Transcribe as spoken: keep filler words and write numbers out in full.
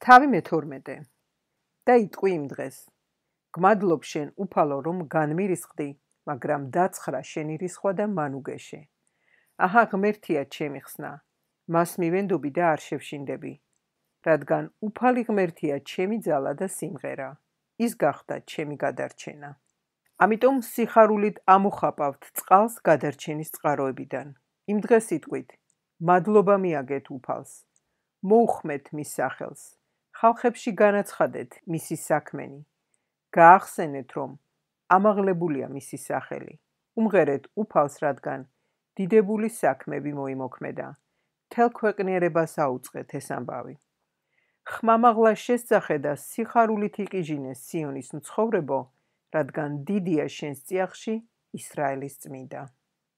თავი მეთორმეტე და იტყვი იმ დღეს გმადლობ შენ უფალო რომ განმირისხდი მაგრამ დაცხრა შენი რისხვა და მან უგეშე აჰა ღმერთია ჩემი ხსნა მას მივენდობი და არ შევშინდები რადგან უფალი ღმერთია ჩემი ძალა და სიმღერა ის გახდა ჩემი გადარჩენა ამიტომ სიხარულით ამოხაპავთ წყალს გადარჩენის წყაროებიდან იმ დღეს იტყვით მადლობა მიაგეთ უფალს მოუხმეთ მის სახელს ხალხებში განაცხადეთ მისი საქმენი გაახსენეთ რომ ამაღლებულია მისი სახელი უმღერეთ უფალს რადგან დიდებული საქმები მოიმოქმედა მთელ ქვეყნიერებას აუწყეთ ეს ამბავი ხმამაღლა შესძახე და სიხარულით იყიჟინე სიონის მცხოვრებო რადგან დიდია შენს წიაღში ისრაელის წმინდა